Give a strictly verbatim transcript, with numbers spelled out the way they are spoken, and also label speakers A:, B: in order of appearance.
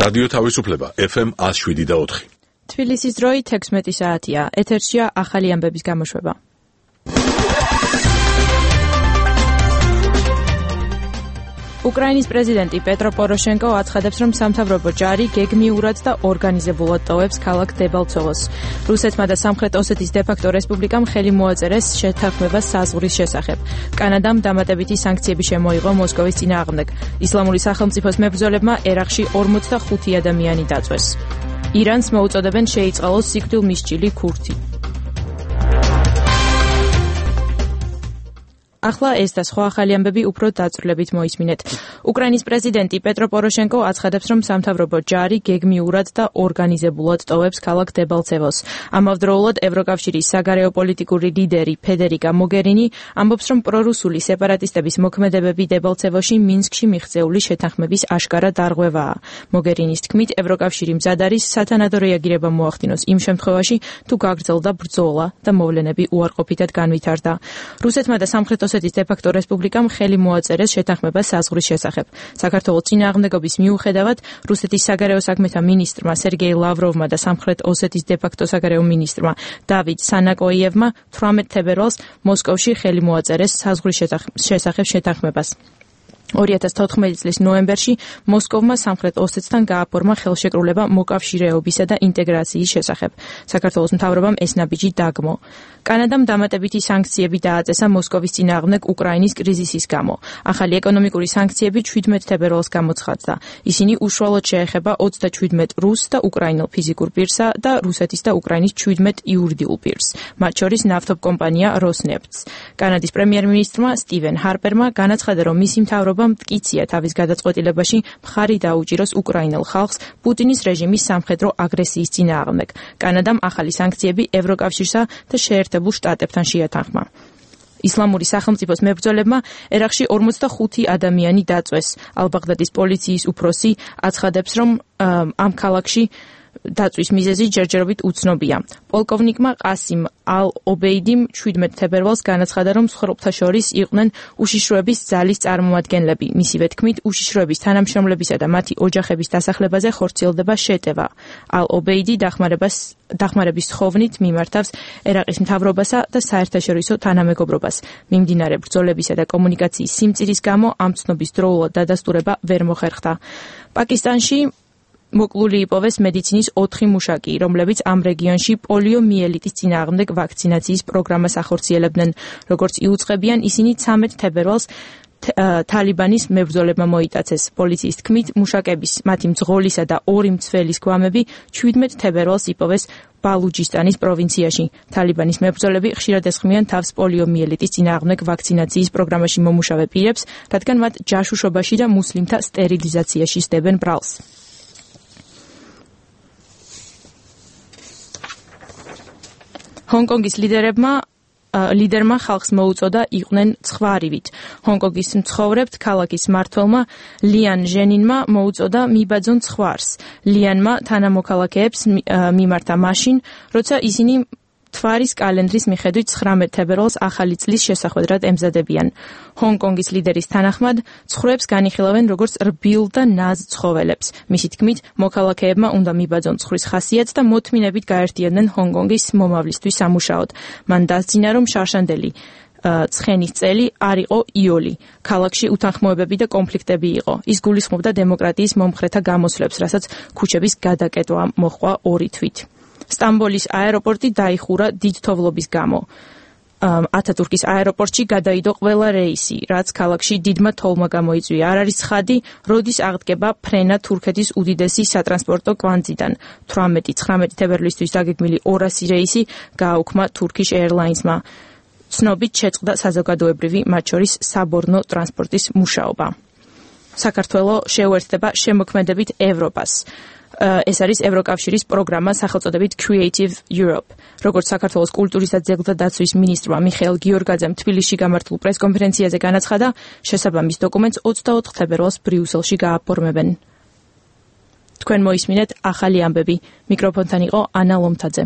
A: რადიო თავისუფლება ეფ ემ one oh seven point four.
B: თბილისის დროით ექვსმეტი საათია. ეთერშია ახალი ამბების გამოშვება. უკრაინის პრეზიდენტი პეტრო პოროშენკო აცხადებს, რომ სამთავრობო ჯარი გეგმიურად და ორგანიზებულად ტოვებს ქალაქ დებალცოვოს. რუსეთმა და სამხრეთ ოსეთის დე-ფაქტო რესპუბლიკამ ხელი მოაწერეს შეთანხმებას საზღვრის შესახებ. კანადამ დამატებითი სანქციები შემოიღო მოსკოვის წინააღმდეგ. ისლამური სახელმწიფოს მებრძოლებმა ერაყში ორმოცდახუთი ადამიანი დაწვეს. ირანს მოუწოდებენ შეიწყალოს სიკვდილმისჭილი ქურთი. ახლა ეს და სხვა ახალი ამბები უფრო დაწვრილებით მოისმინეთ. უკრაინის პრეზიდენტი პეტრო პოროშენკო აცხადებს, რომ სამთავრობო ჯარი გეგმიურად და ორგანიზებულად ტოვებს ქალაქ დებალცევოს. ამავდროულად ევროკავშირის საგარეო პოლიტიკური ლიდერი ფედერიკა მოგერინი ამბობს, რომ პრორუსული სეპარატისტების მოქმედებები დებალცევოში მინსკში მიღწეული შეთანხმების აშკარა დარღვევაა. მოგერინის თქმით, ევროკავშირი მზად არის სათანადო რეაგირება მოახდინოს იმ შემთხვევაში, თუ გაგრძელდა ბრძოლა და მოვლენები უარყოფითად განვითარდა. რუსეთმა და სამხრეთ ოსეთის დე-ფაქტო რესპუბლიკამ ხელი მოაწერეს შეთანხმებას საზღვრის შესახებ. საქართველოს წინააღმდეგობის მიუხედავად, რუსეთის საგარეო საქმეთა მინისტრმა სერგეი ლავროვმა და სამხრეთ ოსეთის დე-ფაქტო საგარეო მინისტრმა დავიდ სანაკოიევმა თვრამეტ თებერვალს მოსკოვში ხელი მოაწერეს საზღვრის შესახებ შეთანხმებას. ორი ათას თოთხმეტი წლის ნოემბერში მოსკოვმა სამხრეთ ოსეთთან გააფორმა ხელშეკრულება მოკავშირეობისა და ინტეგრაციის შესახებ. საქართველოს მთავრობამ ეს ნაბიჯი დაგმო. კანადამ დამატებითი სანქციები დააწესა მოსკოვის წინააღმდეგ უკრაინის კრიზისის გამო. ახალი ეკონომიკური სანქციები შვიდმეტ თებერვალს გამოცხადდა. ისინი უშუალოდ შეეხება ოცდაშვიდმეტ რუს და უკრაინელ ფიზიკურ პირსა და რუსეთის და უკრაინის შვიდმეტ იურიდიულ პირს, მათ შორის ნავთობკომპანია როსნეფტს. კანადის პრემიერ-მინისტრმა სტივენ ჰარპერმა განაცხადა, რომ მისი მთავრობა მტკიცია თავის გადაწყვეტილებაში მხარი დაუჭიროს უკრაინელ ხალხს პუტინის რეჟიმის სამხედრო აგრესიის წინააღმდეგ. კანადამ ახალი სანქციები ევროკავშირსა და შეერთებულ შტატებთან შეათანხმა. ისლამური სახელმწიფოს მებრძოლებმა ერაყში ორმოცდახუთი ადამიანი დაწვეს. ალბაღდადის პოლიციის უფროსი აცხადებს, რომ ამ ქალაქში დაწვის მიზეზი ჯერჯერობით უცნობია. პოლკოვნიკმა ყასიმ ალ-ობეიდიმ შვიდმეტ თებერვალს განაცხადა, რომ მსხვერპლთა შორის იყვნენ უშიშროების ძალის წარმომადგენლები. მისივე თქმით, უშიშროების თანამშრომლებისა და მათი ოჯახების დასახლებაზე ხორციელდება შეტევა. ალ-ობეიდი დახმარებას დახმარების ხოვნით მიმართავს ერაყის მთავრობასა და საერთაშორისო თანამეგობრობას. მიმდინარე ბრძოლებისა და კომუნიკაციის სიმწირის გამო ამ ცნობის დროულად დადასტურება ვერ მოხერხდა. პაკისტანში მოკლული იპოვეს მედიცინის ოთხი მუშაკი, რომლებიც ამ რეგიონში პოლიომიელიტის წინააღმდეგ ვაქცინაციის პროგრამას ახორციელებდნენ. როგორც იუწყებიან, ისინი ცამეტ თებერვალს თალიბანის მებრძოლებმა მოიტაცეს. პოლიციის თქმით, მუშაკების, მათი მძღოლისა და ორი მცველის გვამები შვიდმეტ თებერვალს იპოვეს ბალუჯისტანის პროვინციაში. თალიბანის მებრძოლები ხშირად ესხმიან თავს პოლიომიელიტის წინააღმდეგ ვაქცინაციის პროგრამაში მომუშავე პირებს, რადგან მათ ჯაშუშობაში და მუსლიმთა სტერილიზაციაში სდებენ ბრალს. ჰონკონგის ლიდერებმა ლიდერმა ხალხს მოუწოდა იყვნენ ცხვარივით. ჰონკონგის მცხოვრებთ ქალაქის მმართველმა ლიან ჟენინმა მოუწოდა მიბაძონ ცხვარს. ლიანმა თანამოქალაქეებს მიმართა მაშინ, როცა ისინი თვარის კალენდრის მიხედვით ცხრამეტ თებერვალს ახალი წლის შესახვედრად ემზადებიან. ჰონკონგის ლიდერის თანახმად, ცხრებს განიხილავენ როგორც რბილ და ნაზ ცხოველებს. მისი თქმით, მოქალაქეებმა უნდა მიბაძონ ცხვრის ხასიათს და მოთმინებით გაერთიანდნენ ჰონკონგის მომავლისთვის სამუშაოდ. მან დასძინა, რომ შარშანდელი ცხენის წელი არ იყო იოლი. ქალაქში უთანხმოებები და კონფლიქტები იყო. ის გულისხმობდა დემოკრატიის მომხრეთა გამოსვლებს, რასაც ქუჩების გადაკეტვა მოჰყვა ორი თვით. სტამბოლის აეროპორტი დაიხურა დიდ თოვლობის გამო. ათათურქის აეროპორტში გადაიდო ყველა რეისი, რაც ქალაქში დიდმა თოვლმა გამოიწვია. არ არის ცხადი, როდის აღდგება ფრენა თურქეთის უდიდესი სატრანსპორტო კვანძიდან. თვრამეტი ცხრამეტი თებერვლისთვის დაგეგმილი ორასი რეისი გააუქმა Turkish Airlines-მა. ცნობით შეწყდა საზოგადოებრივი, მათ შორის საბორნო ტრანსპორტის მუშაობა. საქართველო შეუერთდება შემოქმედებით ევროპას. ეს არის ევროკავშირის პროგრამა სახელწოდებით Creative Europe. როგორც საქართველოს კულტურის და ძეგლთა დაცვის მინისტრმა მიხეილ გიორგაძემ თბილისში გამართულ პრესკონფერენციაზე განაცხადა, შესაბამის დოკუმენტს ოცდაოთხ თებერვალს ბრიუსელში გააფორმებენ. თქვენ მოისმინეთ ახალი ამბები. მიკროფონთან იყო ანა ლომთაძე.